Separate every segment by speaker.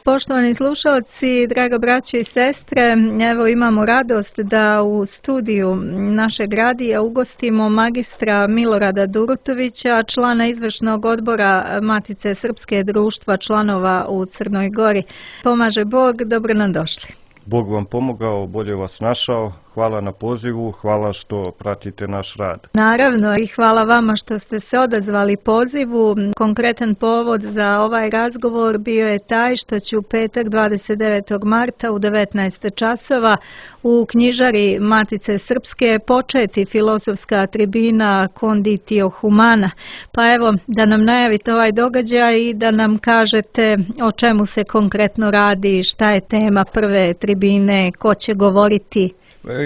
Speaker 1: Poštovani slušalci, draga braće i sestre, evo imamo radost da u studiju našeg radija ugostimo magistra Milorada Durutovića, člana izvršnog odbora Matice Srpske društva članova u Crnoj Gori. Pomaže Bog, dobro nam došli.
Speaker 2: Bog vam pomogao, bolje vas našao. Hvala na pozivu, hvala što pratite naš rad.
Speaker 1: Naravno i hvala vama što ste se odazvali pozivu. Konkretan povod za ovaj razgovor bio je taj što će u petak 29. marta u 19 časova u knjižari Matice Srpske početi filozofska tribina Conditio Humana. Pa evo da nam najavite ovaj događaj i da nam kažete o čemu se konkretno radi, šta je tema prve tribine, ko će govoriti.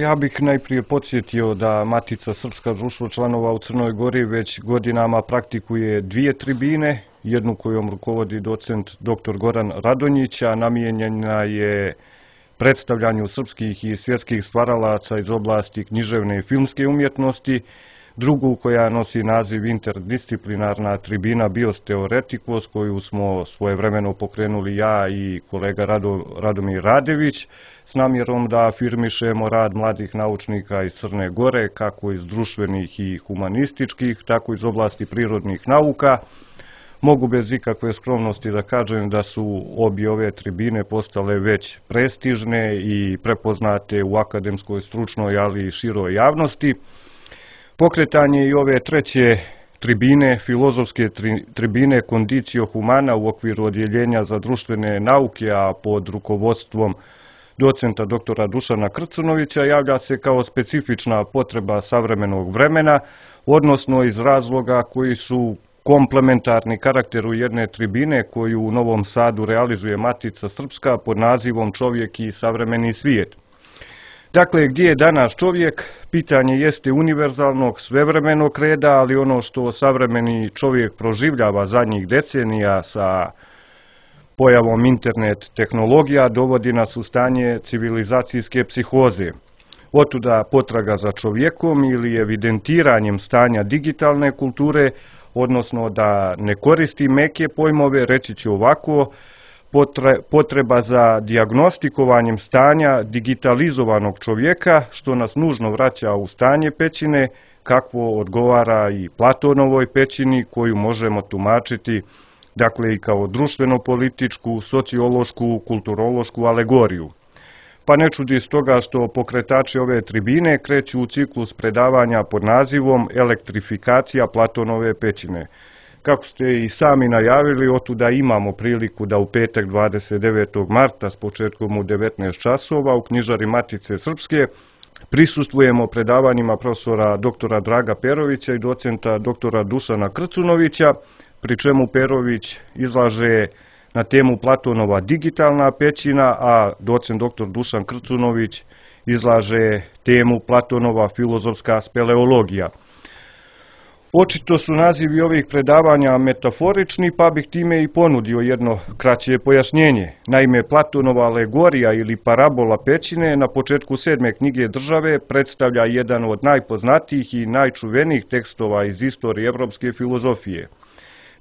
Speaker 2: Ja bih najprije podsjetio da Matica Srpska društvo članova u Crnoj Gori već godinama praktikuje dvije tribine, jednu kojom rukovodi docent dr. Goran Radonjić, a namijenjena je predstavljanju srpskih i svjetskih stvaralaca iz oblasti književne i filmske umjetnosti, drugu koja nosi naziv interdisciplinarna tribina Bios Theoreticus, koju smo svojevremeno pokrenuli ja i kolega Radomir Radević, s namjerom da afirmišemo rad mladih naučnika iz Crne Gore, kako iz društvenih i humanističkih, tako iz oblasti prirodnih nauka. Mogu bez ikakve skromnosti da kažem da su obje ove tribine postale već prestižne i prepoznate u akademskoj, stručnoj, ali i široj javnosti. Pokretanje i ove treće tribine, filozofske tribine Conditio Humana u okviru odjeljenja za društvene nauke, a pod rukovodstvom docenta doktora Dušana Krcunovića, javlja se kao specifična potreba savremenog vremena, odnosno iz razloga koji su komplementarni karakteru jedne tribine koju u Novom Sadu realizuje Matica Srpska pod nazivom Čovjek i savremeni svijet. Dakle, gdje je danas čovjek? Pitanje jeste univerzalnog, svevremenog reda, ali ono što savremeni čovjek proživljava zadnjih decenija sa pojavom internet tehnologija dovodi nas u stanje civilizacijske psihoze. Otuda potraga za čovjekom ili evidentiranjem stanja digitalne kulture, odnosno da ne koristi meke pojmove, reći ću ovako, potreba za dijagnostikovanjem stanja digitalizovanog čovjeka, što nas nužno vraća u stanje pećine, kakvo odgovara i Platonovoj pećini, koju možemo tumačiti dakle i kao društveno-političku, sociološku, kulturološku alegoriju. Pa ne čudi stoga što pokretači ove tribine kreću u ciklus predavanja pod nazivom Elektrifikacija Platonove pećine. Kako ste i sami najavili, otuda imamo priliku da u petak 29. marta s početkom u 19 časova u knjižari Matice Srpske prisustvujemo predavanjima profesora doktora Draga Perovića i docenta doktora Dušana Krcunovića, pri čemu Perović izlaže na temu Platonova digitalna pećina, a docent dr. Dušan Krcunović izlaže temu Platonova filozofska speleologija. Očito su nazivi ovih predavanja metaforični, pa bih time i ponudio jedno kraće pojašnjenje. Naime, Platonova alegorija ili parabola pećine na početku 7. knjige Države predstavlja jedan od najpoznatijih i najčuvenijih tekstova iz istorije evropske filozofije.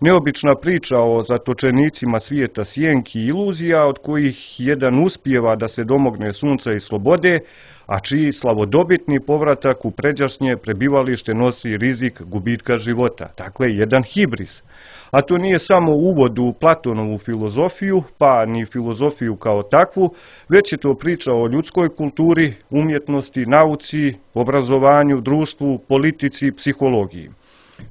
Speaker 2: Neobična priča o zatočenicima svijeta sjenki i iluzija, od kojih jedan uspijeva da se domogne sunca i slobode, a čiji slavodobitni povratak u pređašnje prebivalište nosi rizik gubitka života. Dakle, jedan hibris. A to nije samo uvod u Platonovu filozofiju, pa ni filozofiju kao takvu, već je to priča o ljudskoj kulturi, umjetnosti, nauci, obrazovanju, društvu, politici, psihologiji.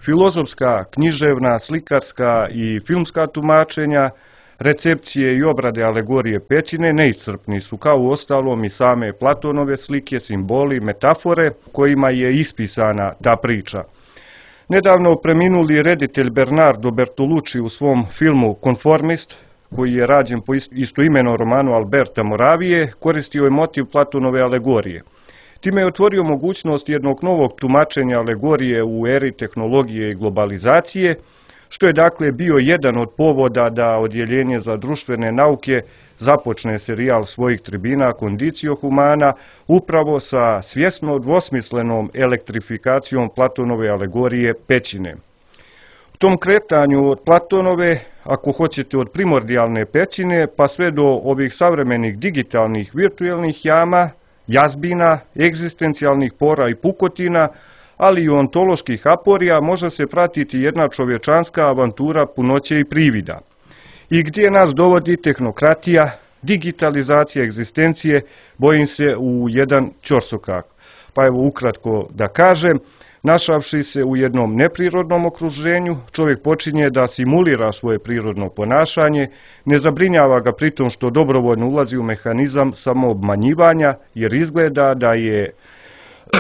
Speaker 2: Filozofska, književna, slikarska i filmska tumačenja, recepcije i obrade alegorije pećine neiscrpni su, kao u ostalom i same Platonove slike, simboli, metafore kojima je ispisana ta priča. Nedavno preminuli reditelj Bernardo Bertolucci u svom filmu Konformist, koji je rađen po istoimenom romanu Alberta Moravije, koristio je motiv Platonove alegorije. Time je otvorio mogućnost jednog novog tumačenja alegorije u eri tehnologije i globalizacije, što je dakle bio jedan od povoda da odjeljenje za društvene nauke započne serijal svojih tribina Conditio Humana upravo sa svjesno dvosmislenom elektrifikacijom Platonove alegorije pećine. U tom kretanju od Platonove, ako hoćete od primordijalne pećine, pa sve do ovih savremenih digitalnih virtualnih jama, jazbina, egzistencijalnih pora i pukotina, ali i ontoloških aporija, može se pratiti jedna čovječanska avantura punoće i privida. I gdje nas dovodi tehnokratija, digitalizacija egzistencije, bojim se u jedan ćorsokak. Pa evo ukratko da kažem, našavši se u jednom neprirodnom okruženju, čovjek počinje da simulira svoje prirodno ponašanje, ne zabrinjava ga pritom što dobrovoljno ulazi u mehanizam samoobmanjivanja, jer izgleda da je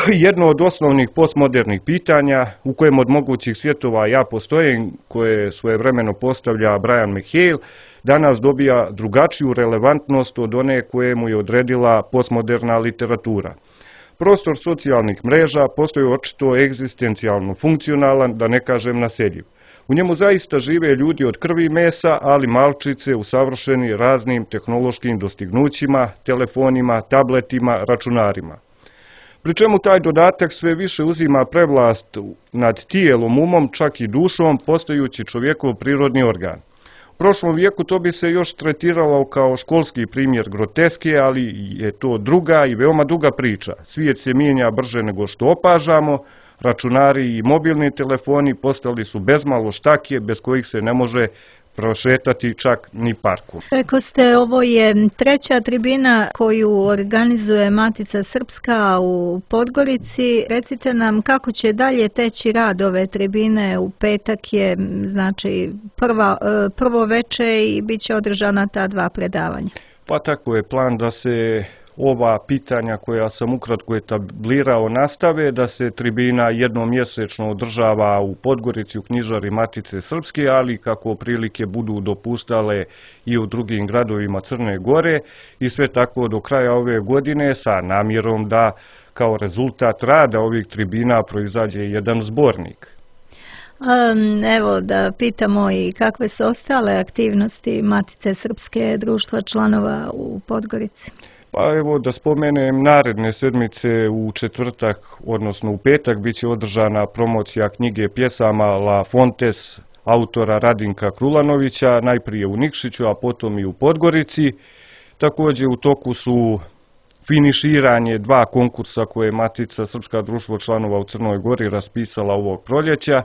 Speaker 2: jedno od osnovnih postmodernih pitanja u kojem od mogućih svjetova ja postojim, koje svojevremeno postavlja Brian McHale, danas dobija drugačiju relevantnost od one koje mu je odredila postmoderna literatura. Prostor socijalnih mreža postoji očito egzistencijalno funkcionalan, da ne kažem naseljiv. U njemu zaista žive ljudi od krvi i mesa, ali malčice usavršeni raznim tehnološkim dostignućima, telefonima, tabletima, računarima. Pri čemu taj dodatak sve više uzima prevlast nad tijelom, umom, čak i dušom, postajući čovjekov prirodni organ. U prošlom vijeku to bi se još tretiralo kao školski primjer groteske, ali je to druga i veoma duga priča. Svijet se mijenja brže nego što opažamo, računari i mobilni telefoni postali su bezmalo štakije bez kojih se ne može prošetati čak ni parku.
Speaker 1: Rekli ste, ovo je treća tribina koju organizuje Matica Srpska u Podgorici. Recite nam kako će dalje teći rad ove tribine. U petak je znači prvo veče i bit će održana ta dva predavanja.
Speaker 2: Pa tako je plan da se ova pitanja koja sam ukratko etablirao nastave, da se tribina jednom mjesečno održava u Podgorici u knjižari Matice Srpske, ali kako prilike budu dopuštale i u drugim gradovima Crne Gore, i sve tako do kraja ove godine sa namjerom da kao rezultat rada ovih tribina proizađe jedan zbornik.
Speaker 1: Evo da pitamo i kakve su ostale aktivnosti Matice Srpske, društva članova u Podgorici.
Speaker 2: Pa evo da spomenem, naredne sedmice u četvrtak, odnosno u petak, bit će održana promocija knjige pjesama La Fontes autora Radinka Krulanovića, najprije u Nikšiću, a potom i u Podgorici. Također u toku su finiširanje dva konkursa koje je Matica Srpska društvo članova u Crnoj Gori raspisala ovog proljeća.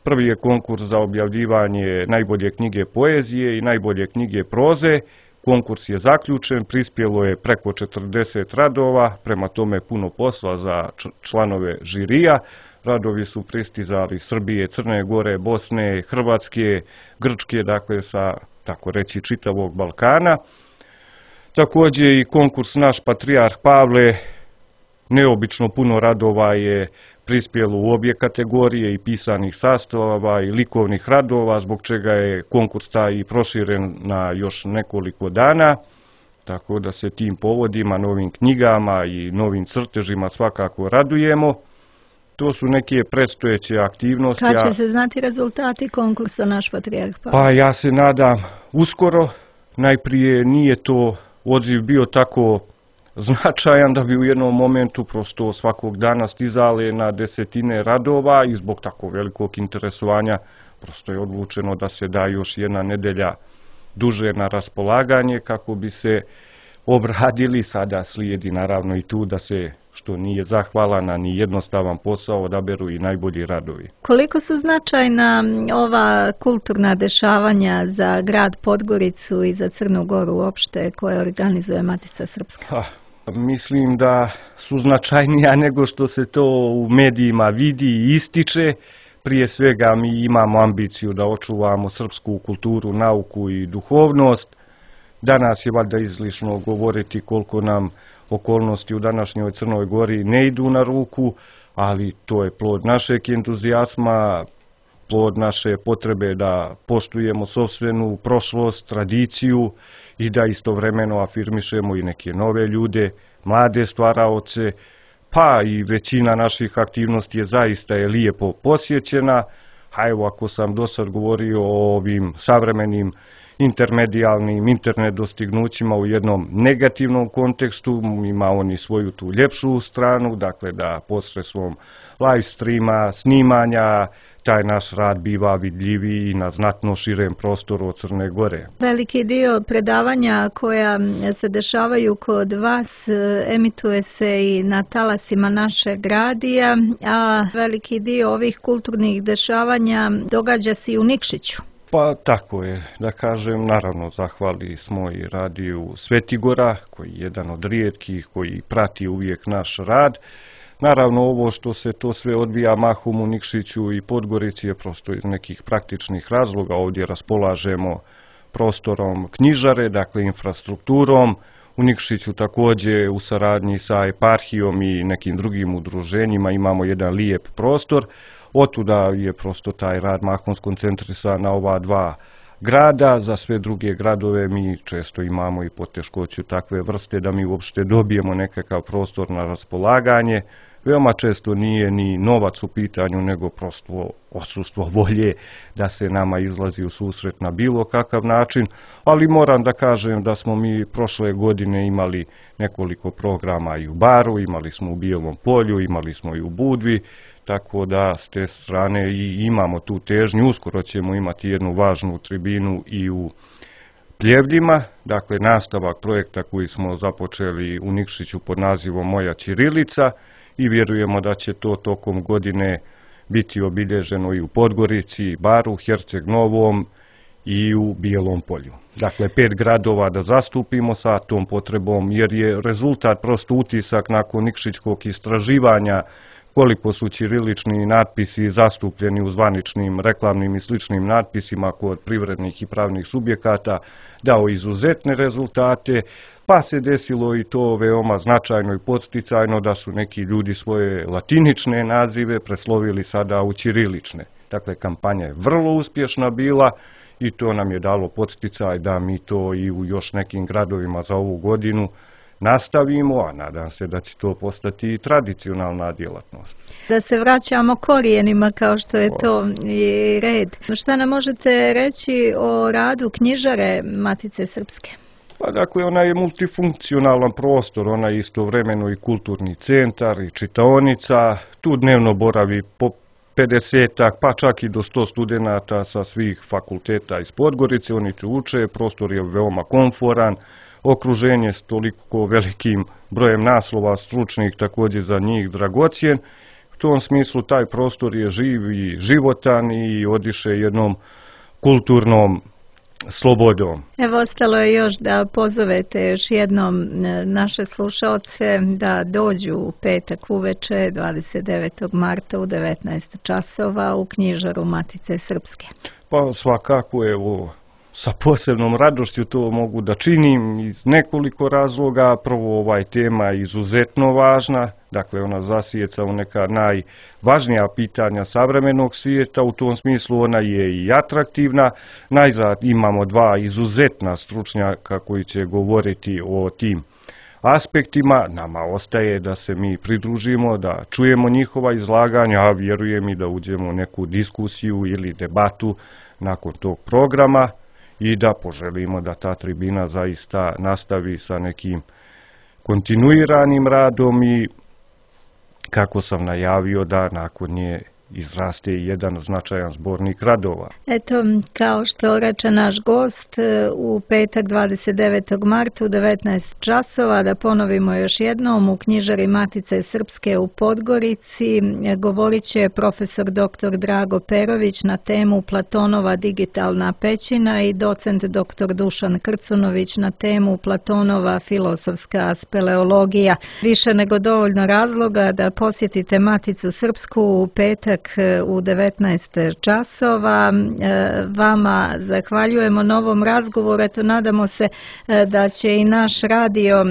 Speaker 2: Prvi je konkurs za objavljivanje najbolje knjige poezije i najbolje knjige proze. Konkurs je zaključen, prispjelo je preko 40 radova, prema tome puno posla za članove žirija. Radovi su pristizali Srbije, Crne Gore, Bosne, Hrvatske, Grčke, dakle sa, tako reći, čitavog Balkana. Također i konkurs Naš patrijarh Pavle, neobično puno radova je prispjelo u obje kategorije, i pisanih sastavova i likovnih radova, zbog čega je konkurs taj i proširen na još nekoliko dana, tako da se tim povodima, novim knjigama i novim crtežima svakako radujemo. To su neke predstojeće aktivnosti.
Speaker 1: Kad će se znati rezultati konkursa Naš patrijarh Pavle?
Speaker 2: Pa ja se nadam uskoro. Najprije nije to odziv bio tako značajan da bi u jednom momentu prosto svakog dana stizale na desetine radova, i zbog tako velikog interesovanja prosto je odlučeno da se da još jedna nedelja duže na raspolaganje kako bi se obradili. Sada slijedi naravno i tu da se, što nije zahvalan, a ni jednostavan posao, odaberu i najbolji radovi. Koliko
Speaker 1: su značajna ova kulturna dešavanja za grad Podgoricu i za Crnu Goru uopšte koje organizuje Matica Srpska?
Speaker 2: Mislim da su značajnija nego što se to u medijima vidi i ističe. Prije svega mi imamo ambiciju da očuvamo srpsku kulturu, nauku i duhovnost. Danas je valjda izlišno govoriti koliko nam okolnosti u današnjoj Crnoj Gori ne idu na ruku, ali to je plod našeg entuzijazma, plod naše potrebe da poštujemo sopstvenu prošlost, tradiciju i da istovremeno afirmišemo i neke nove ljude, mlade stvaraoce, pa i većina naših aktivnosti je zaista lijepo posjećena. A evo, ako sam do sad govorio o ovim savremenim intermedijalnim internet dostignućima u jednom negativnom kontekstu, ima oni svoju tu ljepšu stranu, dakle da posredstvom live streama, snimanja, taj naš rad biva vidljiviji na znatno širem prostoru od Crne Gore.
Speaker 1: Veliki dio predavanja koja se dešavaju kod vas emituje se i na talasima našeg radija, a veliki dio ovih kulturnih dešavanja događa se i u Nikšiću.
Speaker 2: Pa tako je, da kažem, naravno zahvali smo i radiju Svetigora, koji je jedan od rijetkih koji prati uvijek naš rad. Naravno, ovo što se to sve odvija mahom u Nikšiću i Podgorici je prosto iz nekih praktičnih razloga. Ovdje raspolažemo prostorom knjižare, dakle infrastrukturom. U Nikšiću također u saradnji sa eparhijom i nekim drugim udruženjima imamo jedan lijep prostor. Otuda je prosto taj rad mahom skoncentrisan na ova dva grada. Za sve druge gradove mi često imamo i poteškoću takve vrste da mi uopšte dobijemo nekakav prostor na raspolaganje. Veoma često nije ni novac u pitanju, nego prosto odsustvo volje da se nama izlazi u susret na bilo kakav način, ali moram da kažem da smo mi prošle godine imali nekoliko programa i u Baru, imali smo u Bijelom Polju, imali smo i u Budvi, tako da s te strane i imamo tu težnju. Uskoro ćemo imati jednu važnu tribinu i u Pljevljima, dakle nastavak projekta koji smo započeli u Nikšiću pod nazivom Moja ćirilica, i vjerujemo da će to tokom godine biti obilježeno i u Podgorici, Baru, Herceg Novom i u Bijelom Polju. Dakle, 5 gradova da zastupimo sa tom potrebom, jer je rezultat prosto utisak nakon nikšićkog istraživanja koliko su ćirilični natpisi zastupljeni u zvaničnim reklamnim i sličnim natpisima kod privrednih i pravnih subjekata, dao izuzetne rezultate, pa se desilo i to veoma značajno i podsticajno da su neki ljudi svoje latinične nazive preslovili sada u ćirilične. Dakle, kampanja je vrlo uspješna bila i to nam je dalo podsticaj da mi to i u još nekim gradovima za ovu godinu nastavimo, a nadam se da će to postati i tradicionalna djelatnost.
Speaker 1: Da se vraćamo korijenima kao što je to i red. Šta nam možete reći o radu knjižare Matice Srpske?
Speaker 2: Pa dakle, ona je multifunkcionalan prostor, ona je istovremeno i kulturni centar i čitaonica, tu dnevno boravi po 50, pa čak i do 100 studenata sa svih fakulteta iz Podgorice, oni tu uče, prostor je veoma komforan, okruženje s toliko velikim brojem naslova stručnih također za njih dragocjen. U tom smislu taj prostor je živ i životan i odiše jednom kulturnom slobodom.
Speaker 1: Evo, ostalo je još da pozovete još jednom naše slušaoce da dođu u petak uveče 29. marta u 19 časova u knjižaru Matice Srpske.
Speaker 2: Pa svakako, evo, sa posebnom radošću to mogu da činim iz nekoliko razloga. Prvo, tema je izuzetno važna, dakle ona zasjeca u neka najvažnija pitanja savremenog svijeta, u tom smislu ona je i atraktivna. Najzad imamo dva izuzetna stručnjaka koji će govoriti o tim aspektima. Nama ostaje da se mi pridružimo, da čujemo njihova izlaganja, a vjerujem i da uđemo u neku diskusiju ili debatu nakon tog programa i da poželimo da ta tribina zaista nastavi sa nekim kontinuiranim radom i, kako sam najavio, da nakon nje izraste jedan značajan zbornik radova.
Speaker 1: Eto, kao što reče naš gost, u petak 29. marta u 19 časova, da ponovimo još jednom, u knjižari Matice Srpske u Podgorici govorit će profesor dr. Drago Perović na temu Platonova digitalna pećina i docent dr. Dušan Krcunović na temu Platonova filozofska speleologija. Više nego dovoljno razloga da posjetite Maticu Srpsku u petak u 19 časova. Vama zahvaljujemo na ovom razgovoru. Eto, nadamo se da će i naš radio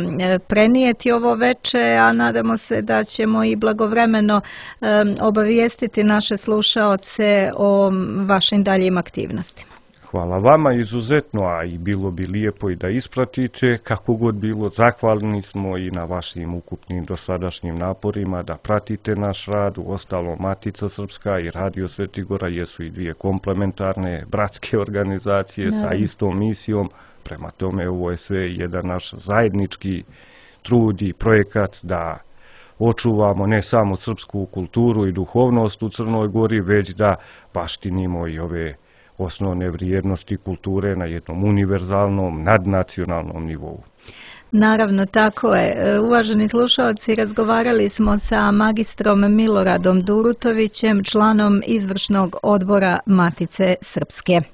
Speaker 1: prenijeti ovo veče, a nadamo se da ćemo i blagovremeno obavijestiti naše slušaoce o vašim daljim aktivnostima.
Speaker 2: Hvala vama izuzetno, a i bilo bi lijepo i da ispratite. Kako god bilo, zahvalni smo i na vašim ukupnim dosadašnjim naporima da pratite naš rad. Uostalom, Matica Srpska i Radio Svetigora jesu i dvije komplementarne bratske organizacije sa istom misijom. Prema tome, ovo je sve jedan naš zajednički trud i projekat da očuvamo ne samo srpsku kulturu i duhovnost u Crnoj Gori, već da baštinimo i ove osnovne vrijednosti kulture na jednom univerzalnom, nadnacionalnom nivou.
Speaker 1: Naravno, tako je. Uvaženi slušalci, razgovarali smo sa magistrom Miloradom Durutovićem, članom izvršnog odbora Matice Srpske.